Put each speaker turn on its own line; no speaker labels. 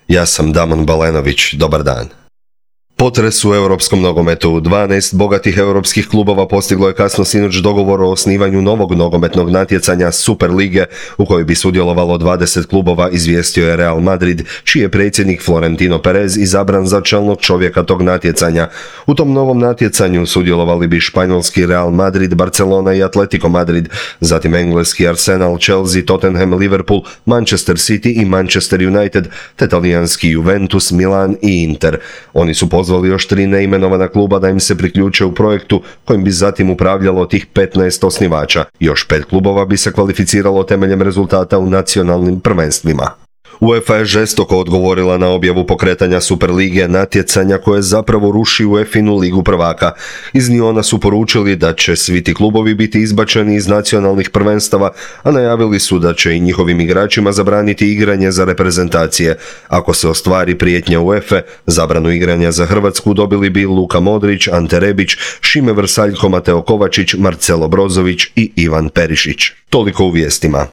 Ja sam Damon Balenović, dobar dan. Potres u europskom nogometu. 12 bogatih europskih klubova postiglo je kasno sinoć dogovor o osnivanju novog nogometnog natjecanja Super lige u kojoj bi sudjelovalo 20 klubova, izvijestio je Real Madrid, čiji je predsjednik Florentino Perez izabran za čelnog čovjeka tog natjecanja. U tom novom natjecanju sudjelovali bi španjolski Real Madrid, Barcelona i Atletico Madrid, zatim engleski Arsenal, Chelsea, Tottenham, Liverpool, Manchester City i Manchester United, te talijanski Juventus, Milan i Inter. Oni su pozvali još 3 neimenovana kluba da im se priključe u projektu kojim bi zatim upravljalo tih 15 osnivača. Još 5 klubova bi se kvalificiralo temeljem rezultata u nacionalnim prvenstvima. UEFA je žestoko odgovorila na objavu pokretanja Super lige, natjecanja koje zapravo ruši UEFA-inu ligu prvaka. Iz Liona su poručili da će svi ti klubovi biti izbačeni iz nacionalnih prvenstava, a najavili su da će i njihovim igračima zabraniti igranje za reprezentacije. Ako se ostvari prijetnja UEFA, zabranu igranja za Hrvatsku dobili bi Luka Modrić, Ante Rebić, Šime Vrsaljko, Mateo Kovačić, Marcelo Brozović i Ivan Perišić. Toliko u vijestima.